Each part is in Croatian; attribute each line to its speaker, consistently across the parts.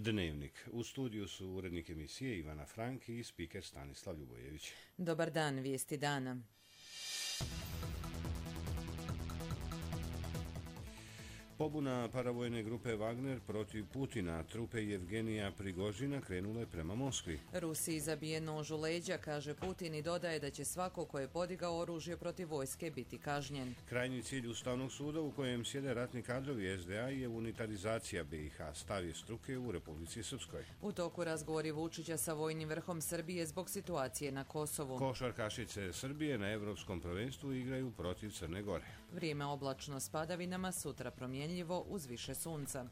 Speaker 1: Dnevnik. U studiju su urednik emisije Ivana Frank i spiker Stanislav Ljubojević.
Speaker 2: Dobar dan, vijesti dana.
Speaker 1: Pobuna paravojne grupe Wagner protiv Putina, trupe Jevgenija Prigožina krenule prema Moskvi.
Speaker 2: Rusiji zabije nož u leđa, kaže Putin i dodaje da će svako ko je podigao oružje protiv vojske biti kažnjen.
Speaker 1: Krajnji cilj Ustavnog suda u kojem sjede ratni kadrovi SDA je unitarizacija BiH, stav je struke u Republici Srpskoj.
Speaker 2: U toku razgovori Vučića sa vojnim vrhom Srbije zbog situacije na Kosovu.
Speaker 1: Košarkašice Srbije na Evropskom prvenstvu igraju protiv Crne Gore.
Speaker 2: Vrijeme oblačno s padavinama, sutra promjenjivo uz više sunca.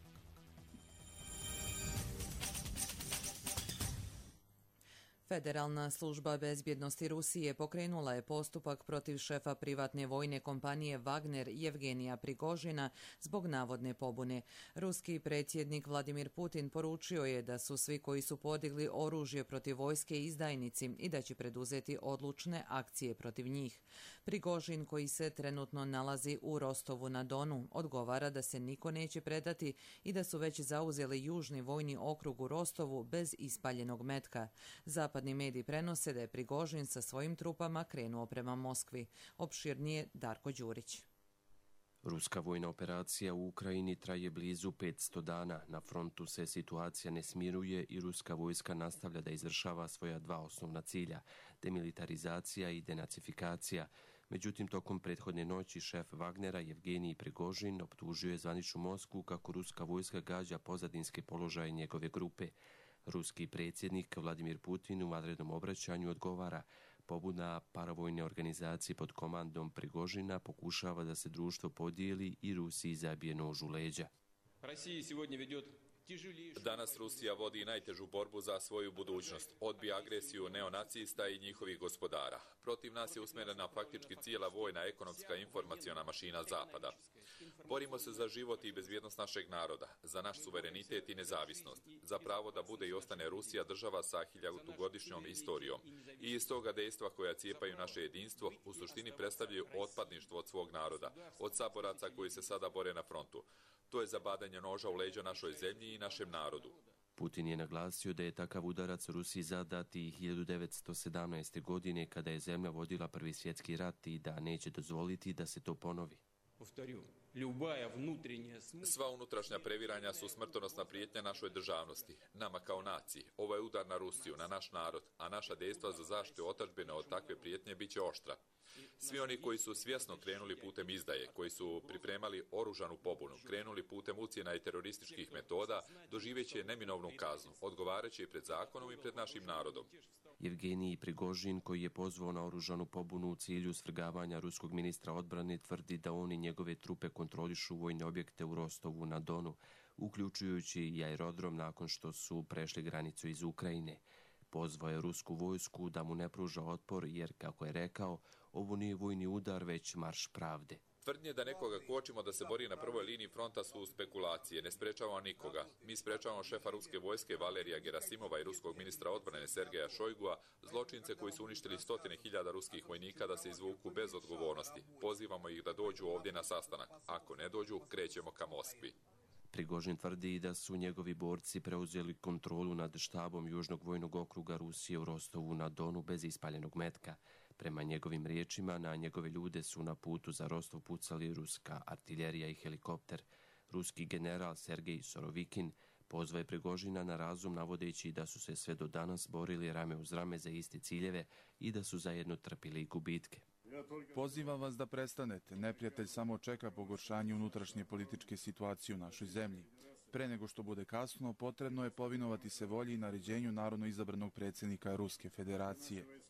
Speaker 2: Federalna služba bezbjednosti Rusije pokrenula je postupak protiv šefa privatne vojne kompanije Wagner Jevgenija Prigožina zbog navodne pobune. Ruski predsjednik Vladimir Putin poručio je da su svi koji su podigli oružje protiv vojske izdajnici i da će preduzeti odlučne akcije protiv njih. Prigožin, koji se trenutno nalazi u Rostovu na Donu, odgovara da se niko neće predati i da su već zauzeli južni vojni okrug u Rostovu bez ispaljenog metka. Zapadni mediji prenose da je Prigožin sa svojim trupama krenuo prema Moskvi. Opširnije Darko Đurić.
Speaker 3: Ruska vojna operacija u Ukrajini traje blizu 500 dana. Na frontu se situacija ne smiruje i ruska vojska nastavlja da izvršava svoja dva osnovna cilja, demilitarizacija i denacifikacija. Međutim, tokom prethodne noći šef Wagnera Jevgenij Prigožin optužio je zvaničnu Moskvu kako ruska vojska gađa pozadinske položaje njegove grupe. Ruski predsjednik Vladimir Putin u vanrednom obraćanju odgovara: pobuna paravojne organizacije pod komandom Prigožina pokušava da se društvo podijeli i Rusiji zabije nož u leđa.
Speaker 4: Danas Rusija vodi najtežu borbu za svoju budućnost. Odbija agresiju neonacista i njihovih gospodara. Protiv nas je usmjerena faktički cijela vojna, ekonomska i informaciona mašina Zapada. Borimo se za život i bezbjednost našeg naroda, za naš suverenitet i nezavisnost, za pravo da bude i ostane Rusija država sa 1000-godišnjom istorijom. I iz toga dejstva koja cijepaju naše jedinstvo u suštini predstavljaju otpadništvo od svog naroda, od saboraca koji se sada bore na frontu. To je zabadanje noža u leđa našoj zemlji i našem narodu.
Speaker 3: Putin je naglasio da je takav udarac Rusiji zadat i 1917. godine kada je zemlja vodila Prvi svjetski rat i da neće dozvoliti da se to ponovi.
Speaker 4: Sva unutrašnja previranja su smrtonosna prijetnja našoj državnosti, nama kao naciji. Ovo je udar na Rusiju, na naš narod, a naša dejstva za zaštitu otadžbine od takve prijetnje bit će oštra. Svi oni koji su svjesno krenuli putem izdaje, koji su pripremali oružanu pobunu, krenuli putem ucjena i terorističkih metoda, doživeće neminovnu kaznu, odgovarajući i pred zakonom i pred našim narodom.
Speaker 3: Jevgenij Prigožin, koji je pozvao na oružanu pobunu u cilju svrgavanja ruskog ministra odbrane, tvrdi da on i njegove trupe kontrolišu vojne objekte u Rostovu na Donu, uključujući i aerodrom nakon što su prešli granicu iz Ukrajine. Pozvao je rusku vojsku da mu ne pruža otpor jer, kako je rekao, ovo nije vojni udar, već marš pravde.
Speaker 4: Tvrdnje da nekoga kočimo da se bori na prvoj liniji fronta su spekulacije, ne sprečavamo nikoga. Mi sprečavamo šefa ruske vojske Valerija Gerasimova i ruskog ministra odbrane Sergeja Šojgua, zločince koji su uništili 100.000 ruskih vojnika da se izvuku bez odgovornosti. Pozivamo ih da dođu ovdje na sastanak. Ako ne dođu, krećemo ka Moskvi.
Speaker 3: Prigožin tvrdi da su njegovi borci preuzeli kontrolu nad štabom Južnog vojnog okruga Rusije u Rostovu na Donu bez ispaljenog metka. Prema njegovim riječima, na njegove ljude su na putu za Rostov pucali ruska artiljerija i helikopter. Ruski general Sergej Sorovikin pozvao je Prigožina na razum, navodeći da su se sve do danas borili rame uz rame za iste ciljeve i da su zajedno trpili gubitke.
Speaker 5: Pozivam vas da prestanete. Neprijatelj samo čeka pogoršanje unutrašnje političke situacije u našoj zemlji. Pre nego što bude kasno, potrebno je povinovati se volji i naređenju narodno izabranog predsjednika Ruske federacije.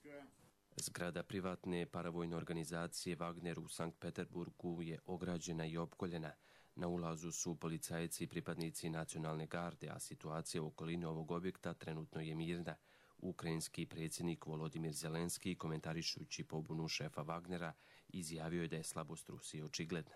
Speaker 3: Zgrada privatne paravojne organizacije Wagner u Sankt Peterburgu je ograđena i opkoljena. Na ulazu su policajci i pripadnici nacionalne garde, a situacija u okolini ovog objekta trenutno je mirna. Ukrajinski predsjednik Volodimir Zelenski, komentarišući pobunu šefa Wagnera, izjavio je da je slabost Rusije očigledna.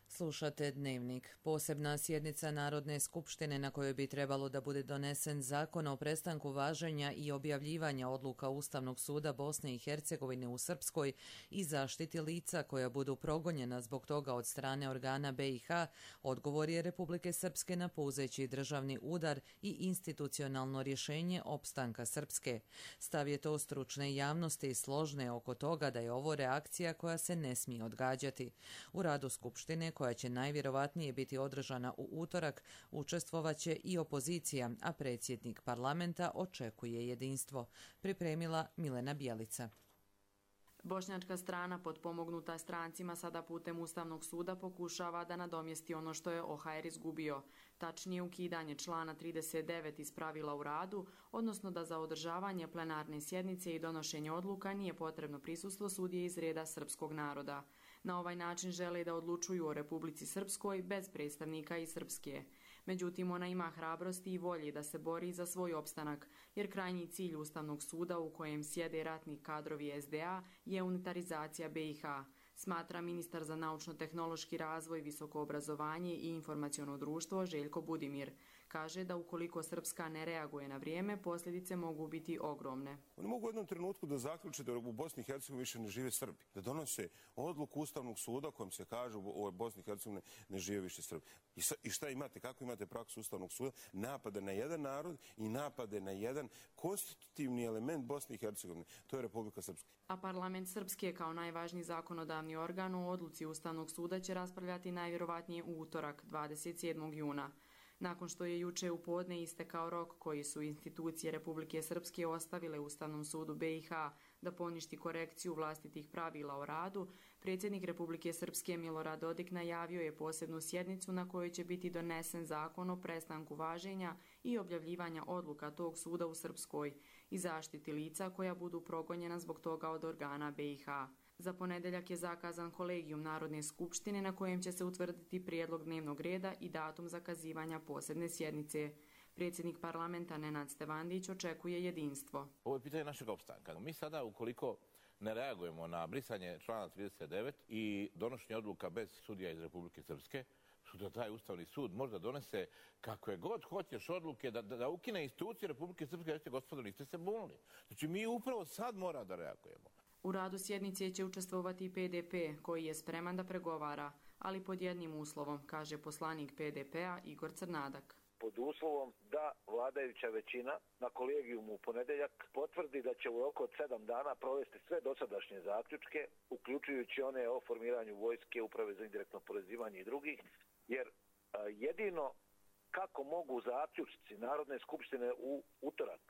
Speaker 2: Slušate Dnevnik. Posebna sjednica Narodne skupštine na kojoj bi trebalo da bude donesen zakon o prestanku važenja i objavljivanja odluka Ustavnog suda Bosne i Hercegovine u Srpskoj i zaštiti lica koja budu progonjena zbog toga od strane organa BiH, odgovor je Republike Srpske na puzeći državni udar i institucionalno rješenje opstanka Srpske. Stav je to stručne javnosti složne oko toga da je ovo reakcija koja se ne smije odgađati. U radu Skupštine, koja će najvjerovatnije biti održana u utorak, učestvovaće i opozicija, a predsjednik parlamenta očekuje jedinstvo. Pripremila Milena Bjelica.
Speaker 6: Bošnjačka strana, potpomognuta strancima, sada putem Ustavnog suda pokušava da nadomjesti ono što je OHR izgubio, tačnije ukidanje člana 39 iz pravila u radu, odnosno da za održavanje plenarne sjednice i donošenje odluka nije potrebno prisustvo sudije iz reda srpskog naroda. Na ovaj način žele da odlučuju o Republici Srpskoj bez predstavnika iz Srpske. Međutim, ona ima hrabrosti i volje da se bori za svoj opstanak, jer krajnji cilj Ustavnog suda u kojem sjede ratni kadrovi SDA je unitarizacija BiH, smatra ministar za naučno-tehnološki razvoj, visoko obrazovanje i informaciono društvo Željko Budimir. Kaže da ukoliko Srpska ne reaguje na vrijeme, posljedice mogu biti ogromne.
Speaker 7: Oni mogu u jednom trenutku da zaključe da u Bosni i Hercegovini više ne žive Srbi, da donose odluku Ustavnog suda kojom se kaže u Bosni i Hercegovini ne žive više Srbi. I šta imate? Kako imate praksu Ustavnog suda? Napade na jedan narod i napade na jedan konstitutivni element Bosne i Hercegovine. To je Republika Srpska.
Speaker 6: A parlament Srpske kao najvažniji zakonodavni organ u odluci Ustavnog suda će raspravljati najvjerovatnije u utorak, 27. juna. Nakon što je juče u podne istekao rok koji su institucije Republike Srpske ostavile Ustavnom sudu BiH da poništi korekciju vlastitih pravila o radu, predsjednik Republike Srpske Milorad Dodik najavio je posebnu sjednicu na kojoj će biti donesen zakon o prestanku važenja i objavljivanja odluka tog suda u Srpskoj i zaštiti lica koja budu progonjena zbog toga od organa BiH. Za ponedjeljak je zakazan kolegijum Narodne skupštine na kojem će se utvrditi prijedlog dnevnog reda i datum zakazivanja posebne sjednice. Predsjednik parlamenta Nenad Stevandić očekuje jedinstvo.
Speaker 8: Ovo je pitanje našeg opstanka. Mi sada, ukoliko ne reagujemo na brisanje člana 39 i donošenje odluka bez sudija iz Republike Srpske, sutra taj Ustavni sud možda donese kakve god hoćeš odluke da ukine institucije Republike Srpske, reći gospodo, niste se bunili. Znači mi upravo sad mora da reagujemo.
Speaker 6: U radu sjednice će učestvovati i PDP, koji je spreman da pregovara, ali pod jednim uslovom, kaže poslanik PDP-a Igor Crnadak.
Speaker 9: Pod uslovom da vladajuća većina na kolegijumu u ponedjeljak potvrdi da će u roku od 7 dana provesti sve dosadašnje zaključke, uključujući one o formiranju vojske, uprave za indirektno oporezivanje i drugih, jer jedino kako mogu zaključci Narodne skupštine u utorak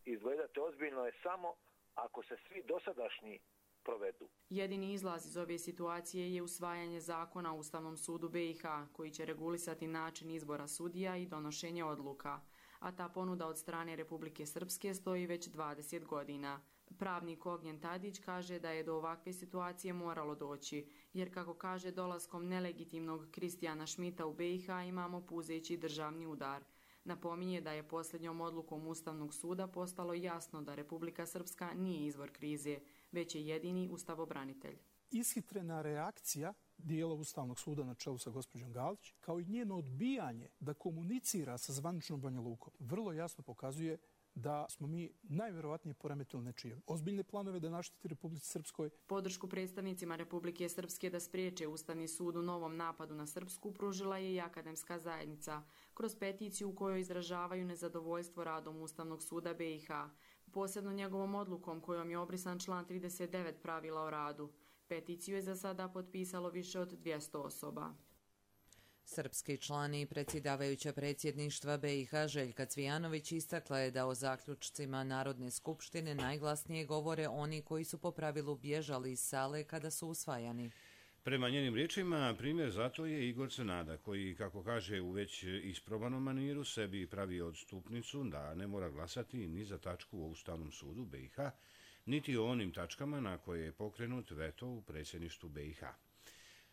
Speaker 9: izgledati ozbiljno je samo ako se svi dosadašnji provedu.
Speaker 6: Jedini izlaz iz ove situacije je usvajanje zakona o Ustavnom sudu BiH, koji će regulisati način izbora sudija i donošenje odluka, a ta ponuda od strane Republike Srpske stoji već 20 godina. Pravnik Ognjen Tadić kaže da je do ovakve situacije moralo doći, jer kako kaže dolaskom nelegitimnog Kristijana Šmita u BiH imamo puzeći državni udar. Napominje da je posljednjom odlukom Ustavnog suda postalo jasno da Republika Srpska nije izvor krize, već je jedini ustavobranitelj.
Speaker 10: Ishitrena reakcija dijela Ustavnog suda na čelu sa gospođom Galić, kao i njeno odbijanje da komunicira sa zvaničnom Banja Lukom, vrlo jasno pokazuje da smo mi najvjerovatnije poremetili nečije ozbiljne planove da naštiti Republici Srpskoj.
Speaker 6: Podršku predstavnicima Republike Srpske da spriječe Ustavni sud u novom napadu na Srpsku pružila je i akademska zajednica, kroz peticiju u kojoj izražavaju nezadovoljstvo radom Ustavnog suda BiH, posebno njegovom odlukom kojom je obrisan član 39 pravila o radu. Peticiju je za sada potpisalo više od 200 osoba.
Speaker 2: Srpski član i predsjedavajuća predsjedništva BiH Željka Cvijanović istakla je da o zaključcima Narodne skupštine najglasnije govore oni koji su po pravilu bježali iz sale kada su usvajani.
Speaker 1: Prema njenim riječima, primjer zato je Igor Crnadak, koji, kako kaže, u već isprobanom maniru sebi pravi odstupnicu da ne mora glasati ni za tačku u Ustavnom sudu BiH, niti o onim tačkama na koje je pokrenut veto u predsjedništvu BiH.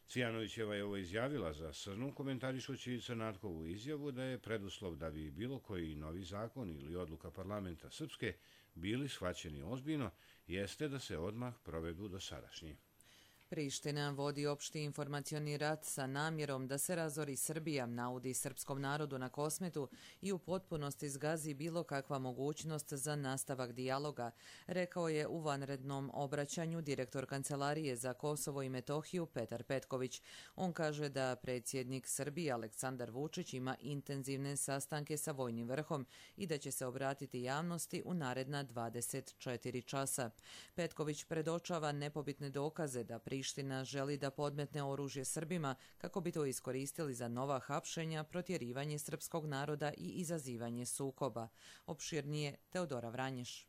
Speaker 1: Cvijanovićeva je ovo izjavila za Srnu, komentarišući Crnatkovu izjavu da je preduslov da bi bilo koji novi zakon ili odluka parlamenta Srpske bili shvaćeni ozbiljno, jeste da se odmah provedu dosadašnji.
Speaker 2: Priština vodi opšti informacioni rat sa namjerom da se razori Srbija, naudi srpskom narodu na Kosmetu i u potpunosti zgazi bilo kakva mogućnost za nastavak dijaloga, rekao je u vanrednom obraćanju direktor Kancelarije za Kosovo i Metohiju Petar Petković. On kaže da predsjednik Srbije Aleksandar Vučić ima intenzivne sastanke sa vojnim vrhom i da će se obratiti javnosti u naredna 24 časa. Petković predočava nepobitne dokaze da Priština želi da podmetne oružje Srbima kako bi to iskoristili za nova hapšenja, protjerivanje srpskog naroda i izazivanje sukoba. Opširnije Teodora Vranješ.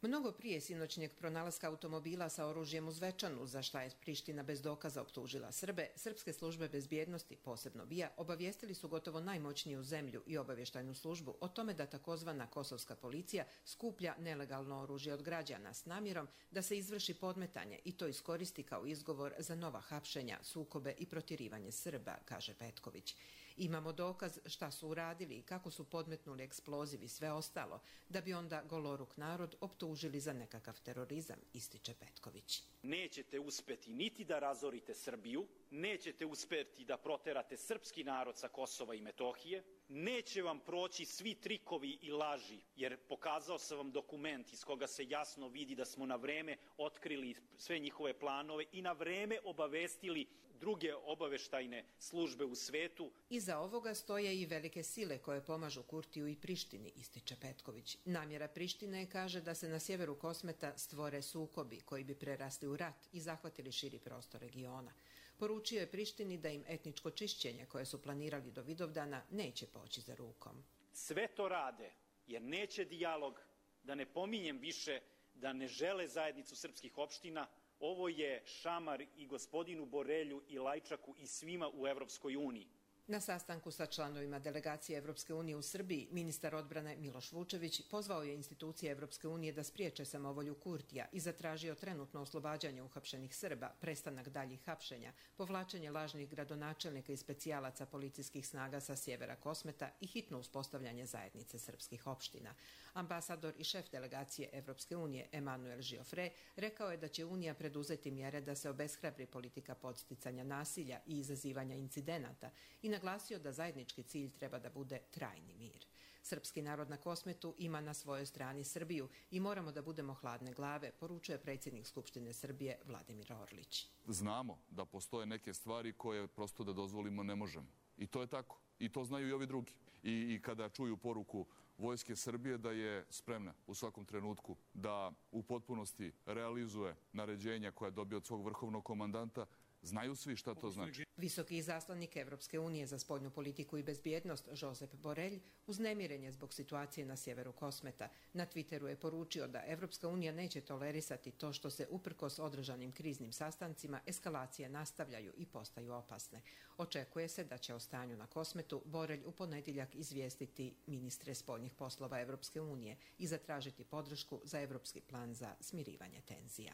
Speaker 11: Mnogo prije sinoćnjeg pronalaska automobila sa oružjem u Zvečanu, za šta je Priština bez dokaza optužila Srbe, srpske službe bezbjednosti, posebno BIA, obavijestili su gotovo najmoćniju zemlju i obavještajnu službu o tome da takozvana kosovska policija skuplja nelegalno oružje od građana s namjerom da se izvrši podmetanje i to iskoristi kao izgovor za nova hapšenja, sukobe i protjerivanje Srba, kaže Petković. Imamo dokaz šta su uradili i kako su podmetnuli eksploziv i sve ostalo, da bi onda goloruk narod optužili za nekakav terorizam, ističe Petković.
Speaker 12: Nećete uspeti niti da razorite Srbiju, nećete uspeti da proterate srpski narod sa Kosova i Metohije, neće vam proći svi trikovi i laži, jer pokazao sam vam dokument iz koga se jasno vidi da smo na vreme otkrili sve njihove planove i na vreme obavestili druge obaveštajne službe u svetu.
Speaker 11: Iza ovoga stoje i velike sile koje pomažu Kurtiju i Prištini, ističe Petković. Namjera Prištine kaže da se na sjeveru Kosmeta stvore sukobi koji bi prerasli u rat i zahvatili širi prostor regiona. Poručio je Prištini da im etničko čišćenje koje su planirali do Vidovdana neće poći za rukom.
Speaker 12: Sve to rade jer neće dijalog, da ne pominjem više da ne žele zajednicu srpskih opština. Ovo je šamar i gospodinu Borelju i Lajčaku i svima u Evropskoj uniji.
Speaker 11: Na sastanku sa članovima delegacije Evropske unije u Srbiji, ministar odbrane Miloš Vučević pozvao je institucije Evropske unije da spriječe samovolju Kurtija i zatražio trenutno oslobađanje uhapšenih Srba, prestanak daljih hapšenja, povlačenje lažnih gradonačelnika i specijalaca policijskih snaga sa sjevera Kosmeta i hitno uspostavljanje zajednice srpskih opština. Ambasador i šef delegacije Evropske unije Emanuel Žiofre rekao je da će Unija preduzeti mjere da se obeshrabri politika podsticanja nasilja i izazivanja incidenata i naglasio da zajednički cilj treba da bude trajni mir. Srpski narod na Kosmetu ima na svojoj strani Srbiju i moramo da budemo hladne glave, poručuje predsjednik Skupštine Srbije Vladimir Orlić.
Speaker 13: Znamo da postoje neke stvari koje prosto da dozvolimo ne možemo. I to je tako. I to znaju i ovi drugi. I kada čuju poruku Vojske Srbije da je spremna u svakom trenutku da u potpunosti realizuje naređenja koja dobije od svog vrhovnog komandanta, znaju svi šta to znači.
Speaker 11: Visoki izaslanik Evropske unije za spoljnu politiku i bezbjednost Josep Borelj uznemiren je zbog situacije na sjeveru Kosmeta. Na Twitteru je poručio da Evropska unija neće tolerisati to što se uprkos održanim kriznim sastancima eskalacije nastavljaju i postaju opasne. Očekuje se da će o stanju na Kosmetu Borelj u ponedjeljak izvijestiti ministre spoljnih poslova Evropske unije i zatražiti podršku za evropski plan za smirivanje tenzija.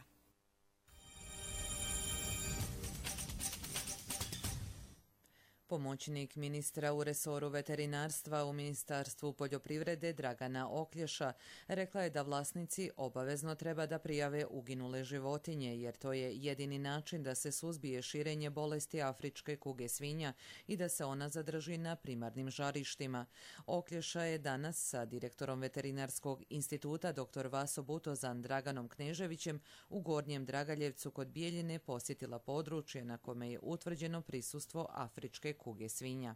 Speaker 2: Pomoćnik ministra u resoru veterinarstva u Ministarstvu poljoprivrede Dragana Oklješa rekla je da vlasnici obavezno treba da prijave uginule životinje, jer to je jedini način da se suzbije širenje bolesti afričke kuge svinja i da se ona zadrži na primarnim žarištima. Oklješa je danas sa direktorom Veterinarskog instituta dr. Vaso Butozan Draganom Kneževićem u Gornjem Dragaljevcu kod Bijeljine posjetila područje na kome je utvrđeno prisustvo afričke kuge svinja.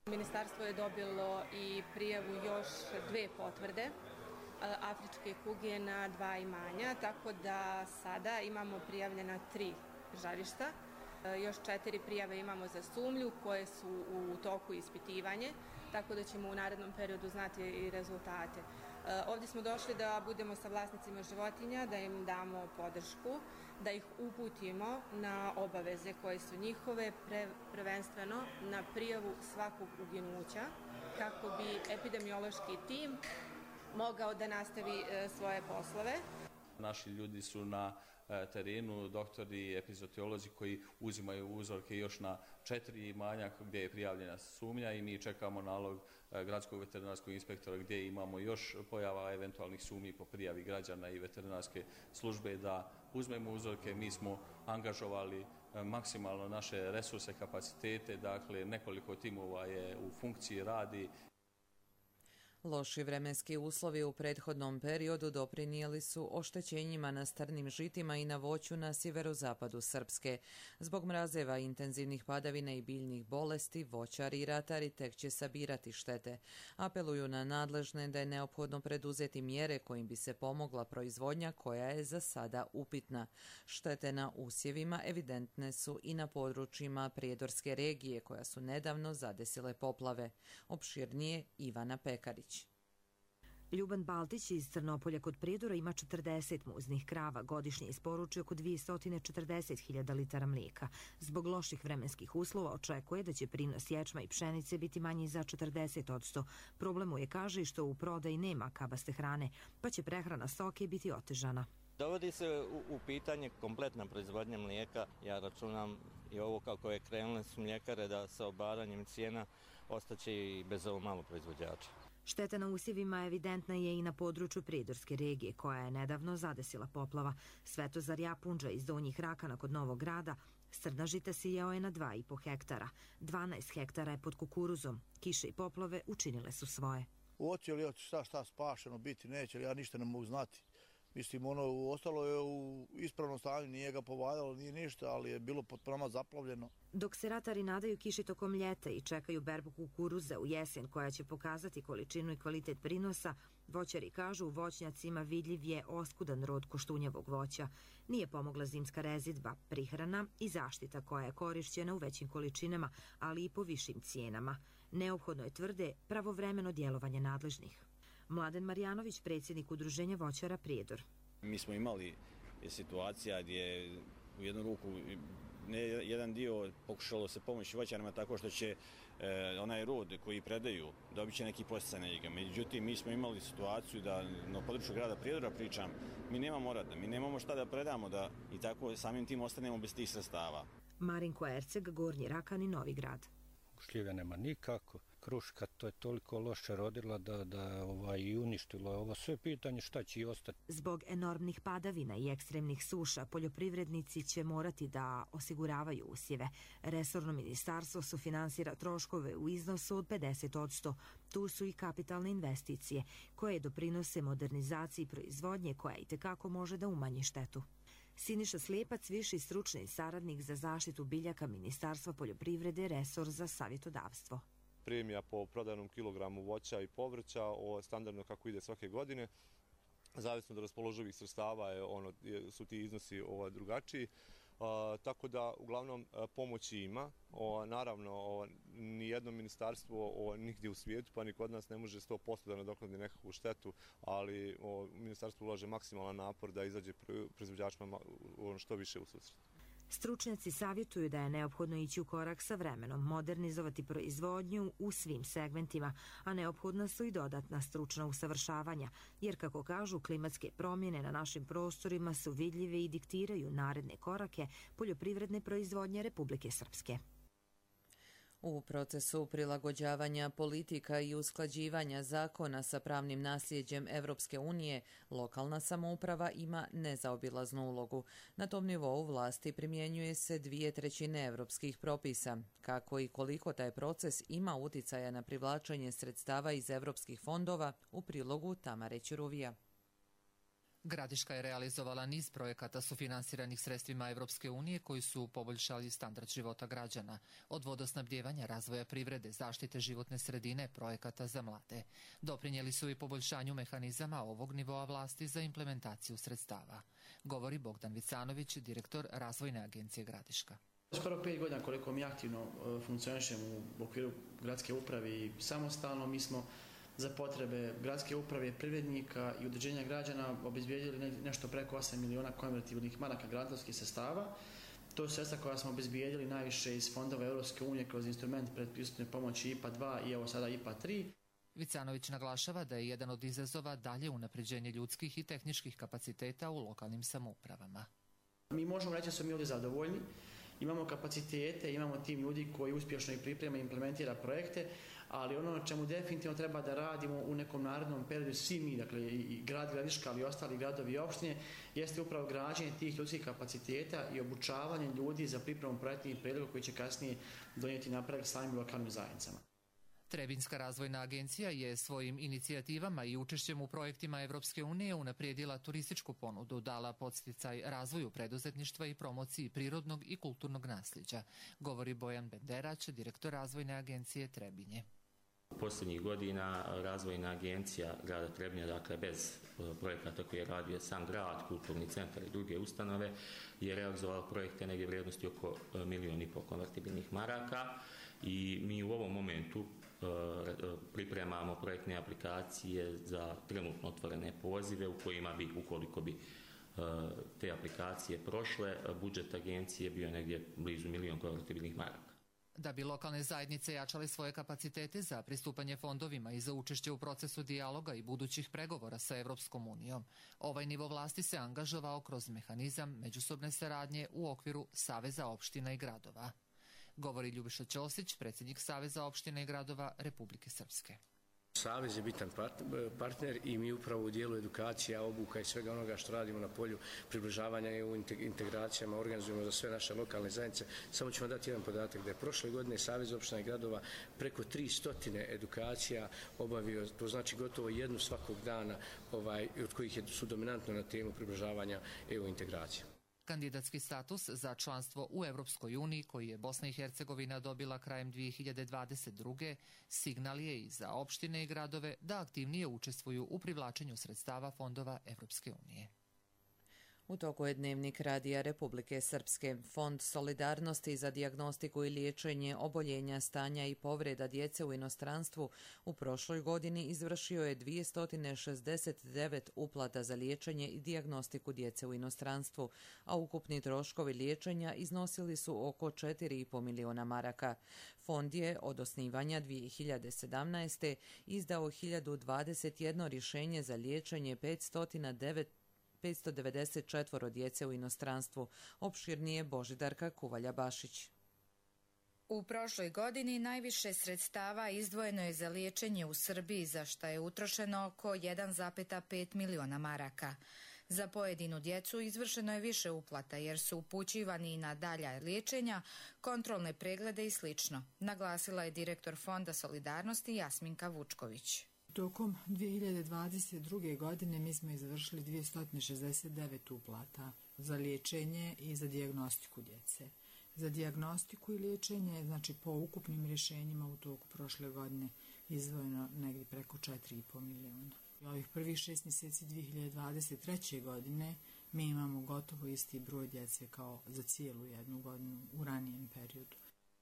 Speaker 14: Ministarstvo je dobilo i prijavu još 2 potvrde afričke kuge na 2 imanja, tako da sada imamo prijavljena 3 žarišta. Još 4 prijave imamo za sumnju koje su u toku ispitivanja, tako da ćemo u narednom periodu znati i rezultate. Ovdje smo došli da budemo sa vlasnicima životinja, da im damo podršku, da ih uputimo na obaveze koje su njihove, prvenstveno na prijavu svakog uginuća, kako bi epidemiološki tim mogao da nastavi svoje poslove.
Speaker 15: Naši ljudi su na terenu, doktori, epizootiolozi koji uzimaju uzorke još na 4 imanja gdje je prijavljena sumnja i mi čekamo nalog gradskog veterinarskog inspektora gdje imamo još pojava eventualnih sumnji po prijavi građana i veterinarske službe da uzmemo uzorke. Mi smo angažovali maksimalno naše resurse, kapacitete, dakle nekoliko timova je u funkciji, radi.
Speaker 2: Loši vremenski uslovi u prethodnom periodu doprinijeli su oštećenjima na strnim žitima i na voću na sjeverozapadu Srpske. Zbog mrazeva, intenzivnih padavina i biljnih bolesti, voćari i ratari tek će sabirati štete. Apeluju na nadležne da je neophodno preduzeti mjere kojim bi se pomogla proizvodnja koja je za sada upitna. Štete na usjevima evidentne su i na područjima Prijedorske regije koja su nedavno zadesile poplave. Opširnije Ivana Pekarić.
Speaker 16: Ljuban Baltić iz Crnopolja kod Prijedora ima 40 muznih krava, godišnje isporuči oko 240.000 litara mlijeka. Zbog loših vremenskih uslova očekuje da će prinos ječma i pšenice biti manji za 40%. Problem mu je, kaže, i što u prodaji nema kabaste hrane, pa će prehrana stoke biti otežana.
Speaker 17: Dovodi se u pitanje kompletna proizvodnja mlijeka. Ja računam i ovo kako je krenule su mljekare da sa obaranjem cijena ostaće i bez ovo malo proizvođača.
Speaker 16: Šteta na usjevima evidentna je i na području Prijedorske regije, koja je nedavno zadesila poplava. Svetozar Japunđa iz Donjih Rakana kod Novog Grada strna žita sijao je na 2,5 hektara. 12 hektara je pod kukuruzom. Kiše i poplave učinile su svoje.
Speaker 18: Hoće li šta spašeno biti, neće li, ja ništa ne mogu znati. Mislim, ostalo je u ispravnom stanju, nije ga povadalo, nije ništa, ali je bilo potpuno zaplavljeno.
Speaker 16: Dok se ratari nadaju kiši tokom ljeta i čekaju berbu kukuruza u jesen koja će pokazati količinu i kvalitet prinosa, voćari kažu u voćnjacima vidljiv je oskudan rod koštunjevog voća. Nije pomogla zimska rezidba, prihrana i zaštita koja je korišćena u većim količinama, ali i po višim cijenama. Neophodno je, tvrde, pravovremeno djelovanje nadležnih. Mladen Marjanović, predsjednik udruženja voćara Prijedor.
Speaker 19: Mi smo imali situacija gdje u jednu ruku jedan dio pokušalo se pomoći voćarima tako što će onaj rod koji predaju dobit će neki podsticaj na njega. Međutim, mi smo imali situaciju da na području grada Prijedora pričam, mi nemamo rada, mi nemamo šta da predamo da i tako samim tim ostanemo bez tih sredstava.
Speaker 16: Marinko Erceg, Gornji Rakan i Novi Grad.
Speaker 20: Šljive nema nikako, kruška to je toliko loše rodila da i uništilo ovo sve pitanje šta će i ostati.
Speaker 16: Zbog enormnih padavina i ekstremnih suša poljoprivrednici će morati da osiguravaju usjeve. Resorno ministarstvo sufinansira troškove u iznosu od 50%. Tu su i kapitalne investicije koje doprinose modernizaciji proizvodnje koja itekako može da umanji štetu. Siniša Slijepac, viši stručni saradnik za zaštitu biljaka Ministarstva poljoprivrede, resor za savjetodavstvo.
Speaker 21: Premija po prodanom kilogramu voća i povrća, standardno kako ide svake godine, zavisno od raspoloživih sredstava su ti iznosi drugačiji. Tako da uglavnom pomoći ima. Naravno, nijedno ministarstvo nigdje u svijetu pa ni kod nas ne može 100% da nadoknadi nekakvu štetu, ali ministarstvo ulaže maksimalan napor da izađe proizvođačima što više u susret.
Speaker 16: Stručnjaci savjetuju da je neophodno ići u korak sa vremenom, modernizovati proizvodnju u svim segmentima, a neophodna su i dodatna stručna usavršavanja, jer kako kažu, klimatske promjene na našim prostorima su vidljive i diktiraju naredne korake poljoprivredne proizvodnje Republike Srpske.
Speaker 2: U procesu prilagođavanja politika i usklađivanja zakona sa pravnim nasljeđem Evropske unije, lokalna samouprava ima nezaobilaznu ulogu. Na tom nivou vlasti primjenjuje se 2/3 evropskih propisa. Kako i koliko taj proces ima uticaja na privlačenje sredstava iz evropskih fondova, u prilogu Tamare Ćuruvija.
Speaker 22: Gradiška je realizovala niz projekata sufinansiranih sredstvima Evropske unije koji su poboljšali standard života građana, od vodosnabdjevanja, razvoja privrede, zaštite životne sredine, projekata za mlade. Doprinijeli su i poboljšanju mehanizama ovog nivoa vlasti za implementaciju sredstava. Govori Bogdan Vicanović, direktor Razvojne agencije Gradiška.
Speaker 23: Skoro 5 godina koliko mi aktivno funkcionišemo u okviru gradske uprave i samostalno, mi smo za potrebe gradske uprave, privrednika i udruženja građana obezbijedili nešto preko 8 miliona konvertibilnih maraka grantovskih sredstava. To su sredstva koja smo obezbijedili najviše iz fondova Europske unije kroz instrument predpristupne pomoći IPA 2 i evo sada IPA 3.
Speaker 22: Vicanović naglašava da je jedan od izazova dalje unapređenje ljudskih i tehničkih kapaciteta u lokalnim samoupravama.
Speaker 23: Mi možemo reći da smo mi ovdje zadovoljni, imamo kapacitete, imamo tim ljudi koji uspješno i priprema i implementira projekte, ali ono na čemu definitivno treba da radimo u nekom narednom periodu, svi mi, dakle i grad Gradiška, ali i ostali gradovi i opštine, jeste upravo građenje tih ljudskih kapaciteta i obučavanje ljudi za pripremu projektnih predloga koji će kasnije donijeti napredak samim lokalnim zajednicama.
Speaker 22: Trebinjska razvojna agencija je svojim inicijativama i učešćem u projektima Evropske unije unaprijedila turističku ponudu, dala podsticaj razvoju preduzetništva i promociji prirodnog i kulturnog nasljeđa, govori Bojan Benderać, direktor razvojne agencije Trebinje.
Speaker 3: Posljednjih godina razvojna agencija grada Trebinja, dakle bez projekata koje je radio sam grad, kulturni centar i druge ustanove, je realizovala projekte negdje vrijednosti oko 1,5 milijuna konvertibilnih maraka i mi u ovom momentu pripremamo projektne aplikacije za trenutno otvorene pozive u kojima bi, ukoliko bi te aplikacije prošle, budžet agencije bio negdje blizu 1 milijun konvertibilnih maraka.
Speaker 22: Da bi lokalne zajednice jačale svoje kapacitete za pristupanje fondovima i za učešće u procesu dijaloga i budućih pregovora sa Evropskom unijom, ovaj nivo vlasti se angažovao kroz mehanizam međusobne saradnje u okviru Saveza opština i gradova, govori Ljubiša Ćosić, predsjednik Saveza opština i gradova Republike Srpske.
Speaker 4: Savez je bitan partner i mi upravo u dijelu edukacija, obuka i svega onoga što radimo na polju približavanja EU integracijama organizujemo za sve naše lokalne zajednice. Samo ću vam dati jedan podatak da je prošle godine Savez opština i gradova preko 300 edukacija obavio, to znači gotovo jednu svakog dana, od kojih su dominantno na temu približavanja EU integracija.
Speaker 22: Kandidatski status za članstvo u Evropskoj uniji, koji je Bosna i Hercegovina dobila krajem 2022. signal je i za opštine i gradove da aktivnije učestvuju u privlačenju sredstava fondova Evropske unije. U toku je Dnevnik Radija Republike Srpske. Fond solidarnosti za dijagnostiku i liječenje oboljenja, stanja i povreda djece u inostranstvu u prošloj godini izvršio je 269 uplata za liječenje i dijagnostiku djece u inostranstvu, a ukupni troškovi liječenja iznosili su oko 4,5 miliona maraka. Fond je od osnivanja 2017. izdao 1021 rješenje za liječenje 594 djece u inostranstvu, opširnije Božidarka Kuvalja-Bašić.
Speaker 5: U prošloj godini najviše sredstava izdvojeno je za liječenje u Srbiji, za što je utrošeno oko 1,5 miliona maraka. Za pojedinu djecu izvršeno je više uplata jer su upućivani i na dalja liječenja, kontrolne preglede i sl., naglasila je direktor Fonda solidarnosti Jasminka Vučković.
Speaker 24: Tokom 2022. godine mi smo izvršili 269 uplata za liječenje i za dijagnostiku djece. Za dijagnostiku i liječenje, znači po ukupnim rješenjima u toku prošle godine, izdvojeno negdje preko 4,5 miliona. Ovih prvih 6 mjeseci 2023. godine mi imamo gotovo isti broj djece kao za cijelu jednu godinu u ranijem periodu.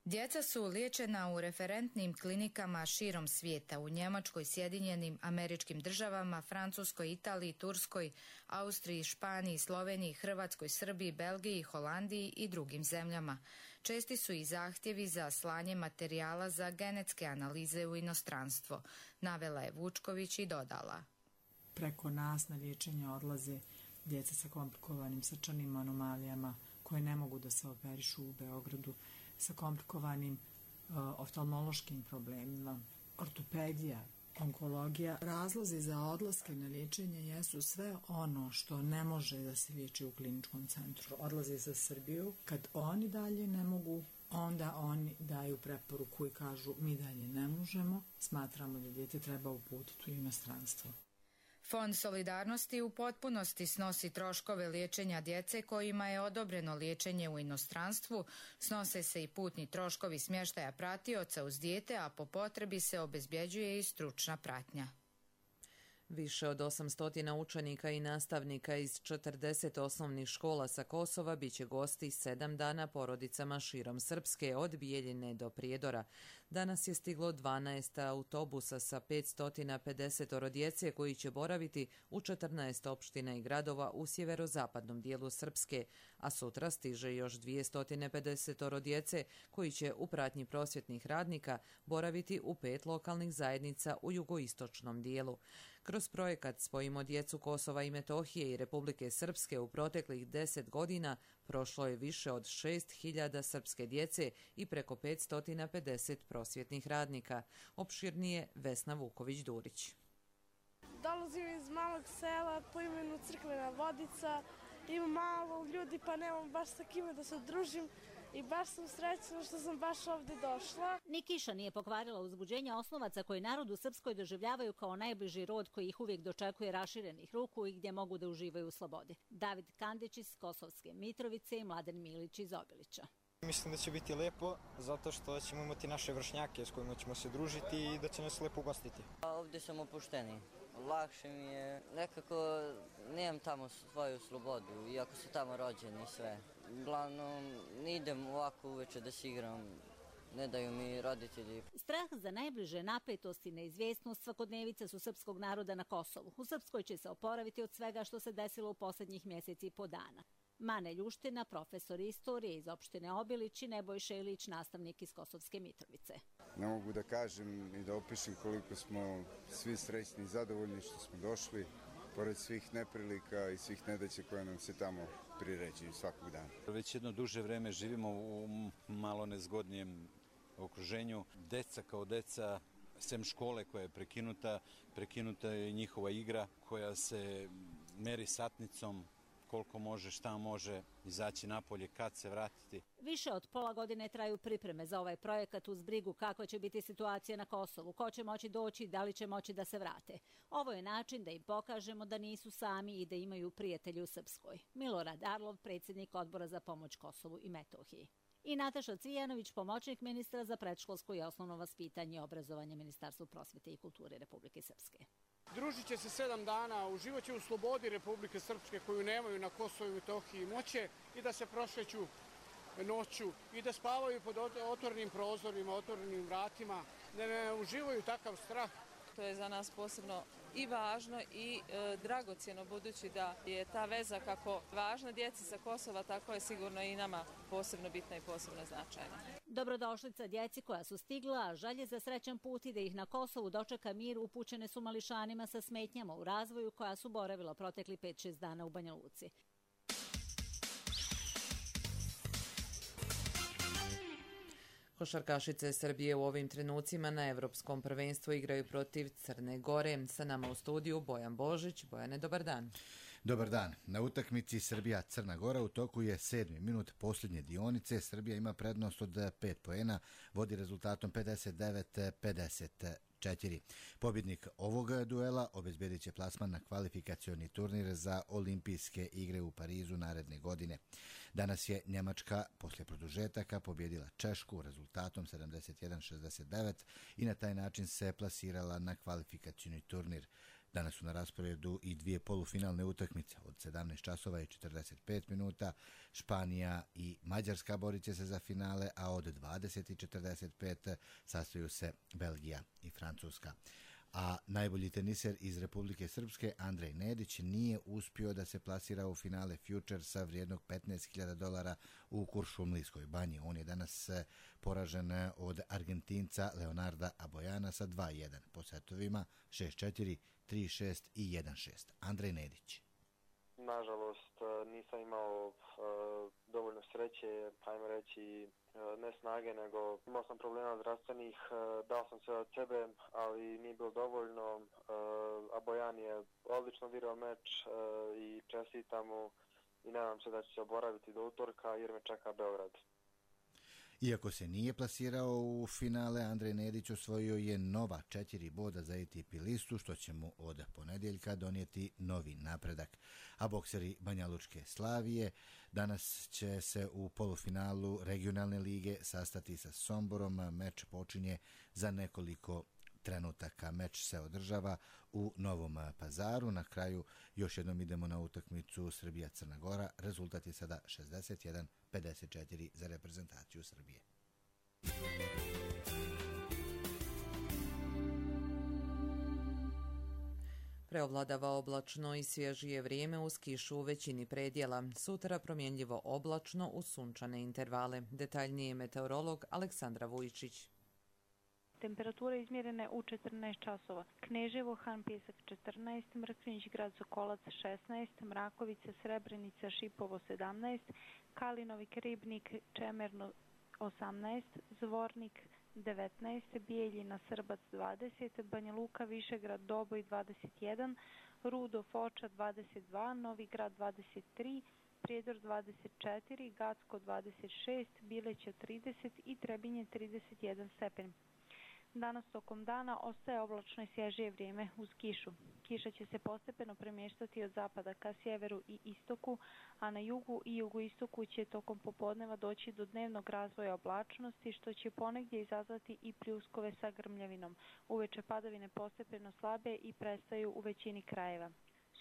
Speaker 5: Djeca su liječena u referentnim klinikama širom svijeta, u Njemačkoj, Sjedinjenim Američkim Državama, Francuskoj, Italiji, Turskoj, Austriji, Španiji, Sloveniji, Hrvatskoj, Srbiji, Belgiji, Holandiji i drugim zemljama. Česti su i zahtjevi za slanje materijala za genetske analize u inostranstvo, navela je Vučković i dodala.
Speaker 24: Preko nas na liječenje odlaze djeca sa komplikovanim srčanim anomalijama koje ne mogu da se operišu u Beogradu, sa komplikovanim oftalmološkim problemima, ortopedija, onkologija. Razlozi za odlaske na liječenje jesu sve ono što ne može da se liječi u kliničkom centru. Odlaze za Srbiju. Kad oni dalje ne mogu, onda oni daju preporuku i kažu mi dalje ne možemo, smatramo da dijete treba uputiti u inostranstvo.
Speaker 5: Fond solidarnosti u potpunosti snosi troškove liječenja djece kojima je odobreno liječenje u inostranstvu, snose se i putni troškovi smještaja pratioca uz dijete, a po potrebi se obezbjeđuje i stručna pratnja.
Speaker 2: Više od 800 učenika i nastavnika iz 40 osnovnih škola sa Kosova biće gosti 7 dana porodicama širom Srpske od Bijeljine do Prijedora. Danas je stiglo 12 autobusa sa 550 djece koji će boraviti u 14 opština i gradova u sjeverozapadnom dijelu Srpske, a sutra stiže još 250 djece koji će u pratnji prosvjetnih radnika boraviti u 5 lokalnih zajednica u jugoistočnom dijelu. Kroz projekat Spojimo djecu Kosova i Metohije i Republike Srpske u proteklih 10 godina prošlo je više od 6.000 srpske djece i preko 550 prosvjetnih radnika. Opširnije Vesna Vuković-Durić.
Speaker 7: Dolazim iz malog sela po imenu Crkvena Vodica. Ima malo ljudi pa nemam baš sa kime da se družim. I baš sam srećna što sam baš ovdje došla.
Speaker 8: Ni kiša nije pokvarila uzbuđenje osnovaca koji narod u Srpskoj doživljavaju kao najbliži rod koji ih uvijek dočekuje raširenih ruku i gdje mogu da uživaju u slobodi. David Kandić iz Kosovske Mitrovice i Mladen Milić iz Obilića.
Speaker 9: Mislim da će biti lepo zato što ćemo imati naše vršnjake s kojima ćemo se družiti i da će nas lepo ugostiti.
Speaker 10: Ovdje sam opušteniji. Lakše mi je, nekako nemam tamo svoju slobodu, iako su tamo rođeni i sve. Uglavnom, ne idem ovako uveče da se igram, ne daju mi roditelji.
Speaker 8: Strah za najbliže napetost i neizvjesnost svakodnevica su srpskog naroda na Kosovu. U Srpskoj će se oporaviti od svega što se desilo u posljednjih mjeseci i po dana. Mane Ljuština, profesor istorije iz opštine Obilić i Nebojša Ilić, nastavnik iz Kosovske Mitrovice.
Speaker 25: Ne mogu da kažem i da opišem koliko smo svi srećni i zadovoljni što smo došli, pored svih neprilika i svih nedaća koje nam se tamo priređuju svakog dana.
Speaker 26: Već jedno duže vreme živimo u malo nezgodnijem okruženju. Deca kao deca, sem škole koja je prekinuta je njihova igra koja se meri satnicom, koliko može, šta može, izaći napolje, kad se vratiti.
Speaker 8: Više od pola godine traju pripreme za ovaj projekat uz brigu kakva će biti situacija na Kosovu, ko će moći doći, da li će moći da se vrate. Ovo je način da im pokažemo da nisu sami i da imaju prijatelji u Srpskoj. Milorad Arlov, predsjednik Odbora za pomoć Kosovu i Metohiji. I Nataša Cvijanović, pomoćnik ministra za predškolsko i osnovno vaspitanje i obrazovanje Ministarstva prosvjete i kulture Republike Srpske.
Speaker 27: Družit će se 7 dana, uživaće u slobodi Republike Srpske koju nemaju na Kosovu i Metohiji moće i da se prošeću noću i da spavaju pod otvorenim prozorima, otvorenim vratima, da ne uživaju takav strah.
Speaker 28: To je za nas posebno i važno i dragocjeno, budući da je ta veza kako važna djeci sa Kosova, tako je sigurno i nama posebno bitna i posebno značajna.
Speaker 8: Dobrodošlica djeci koja su stigla, a želje za srećan put i da ih na Kosovu dočeka mir upućene su mališanima sa smetnjama u razvoju koja su boravila protekli 5-6 dana u Banja Luci.
Speaker 2: Košarkašice Srbije u ovim trenucima na Evropskom prvenstvu igraju protiv Crne Gore. Sa nama u studiju Bojan Božić. Bojane, dobar dan.
Speaker 29: Dobar dan. Na utakmici Srbija-Crna Gora u toku je 7. minut posljednje dionice. Srbija ima prednost od 5 poena, vodi rezultatom 59-54. Pobjednik ovog duela obezbedit će plasman na kvalifikacioni turnir za olimpijske igre u Parizu naredne godine. Danas je Njemačka poslije produžetaka pobjedila Češku rezultatom 71-69 i na taj način se plasirala na kvalifikacioni turnir. Danas su na rasporedu i dvije polufinalne utakmice od 17 časova i 45 minuta. Španija i Mađarska borit će se za finale, a od 20:45 sastaju se Belgija i Francuska. A najbolji teniser iz Republike Srpske, Andrej Nedić, nije uspio da se plasira u finale Futuresa vrijednog $15.000 u Kuršumlijskoj banji. On je danas poražen od Argentinca Leonarda Abojana sa 2-1 po setovima 6-4, 3-6 i 1-6. Andrej Nedić.
Speaker 30: Nažalost, nisam imao dovoljno sreće, ajmo reći, ne snage, nego imao sam problema zdravstvenih, dao sam sve od sebe, ali nije bilo dovoljno. Abojan je odlično odigrao meč i čestitam mu i nadam se da će se oporaviti do utorka jer me čeka Beograd.
Speaker 29: Iako se nije plasirao u finale, Andrej Nedić osvojio je nova 4 boda za ATP listu, što će mu od ponedjeljka donijeti novi napredak. A bokseri Banjalučke Slavije danas će se u polufinalu regionalne lige sastati sa Somborom. Meč počinje za nekoliko trenutaka. Meč se održava u Novom Pazaru. Na kraju još jednom idemo na utakmicu Srbija-Crna Gora. Rezultat je sada 61-54 za reprezentaciju Srbije.
Speaker 2: Preovladava oblačno i svježije vrijeme uz kišu u većini predjela. Sutra promjenljivo oblačno uz sunčane intervale. Detaljnije meteorolog Aleksandra Vujičić.
Speaker 1: Temperature izmjerene u 14 časova. Kneževo, Han Pjesak 14, Mrkvinić grad Sokolac 16, Mrakovica, Srebrenica, Šipovo 17, Kalinovik, Ribnik, Čemerno 18, Zvornik 19, Bijeljina, Srbac 20, Banja Luka, Višegrad, Doboj 21, Rudo, Foča 22, Novi Grad 23, Prijedor 24, Gacko 26, Bileća 30 i Trebinje 31 stepen. Danas tokom dana ostaje oblačno i svježije vrijeme uz kišu. Kiša će se postepeno premještati od zapada ka sjeveru i istoku, a na jugu i jugoistoku će tokom popodneva doći do dnevnog razvoja oblačnosti, što će ponegdje izazvati i pljuskove sa grmljavinom. Uveče padavine postepeno slabe i prestaju u većini krajeva.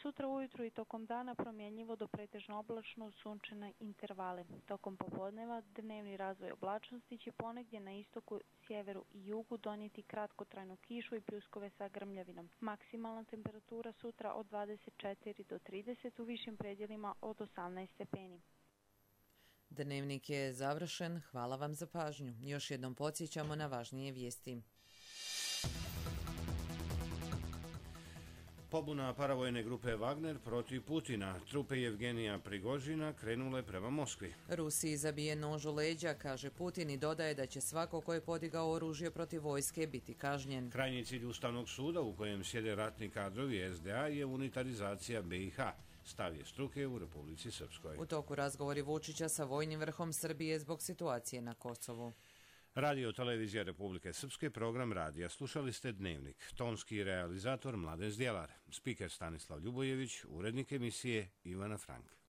Speaker 1: Sutra ujutru i tokom dana promjenjivo do pretežno oblačno uz sunčane intervale. Tokom popodneva dnevni razvoj oblačnosti će ponegdje na istoku, sjeveru i jugu donijeti kratkotrajnu kišu i pljuskove sa grmljavinom. Maksimalna temperatura sutra od 24 do 30, u višim predjelima od 18 stepeni.
Speaker 2: Dnevnik je završen. Hvala vam za pažnju. Još jednom podsjećamo na važnije vijesti.
Speaker 6: Pobuna paravojne grupe Wagner protiv Putina. Trupe Jevgenija Prigožina krenule prema Moskvi.
Speaker 2: Rusiji zabije nož u leđa, kaže Putin, i dodaje da će svako ko je podigao oružje protiv vojske biti kažnjen.
Speaker 6: Krajnji cilj Ustavnog suda u kojem sjede ratni kadrovi SDA je unitarizacija BiH. Stav je struke u Republici Srpskoj.
Speaker 2: U toku razgovori Vučića sa vojnim vrhom Srbije zbog situacije na Kosovu.
Speaker 6: Radio televizija Republike Srpske, program radija. Slušali ste Dnevnik. Tonski realizator Mladen Zdjelar. Spiker Stanislav Ljubojević, urednik emisije Ivana Frank.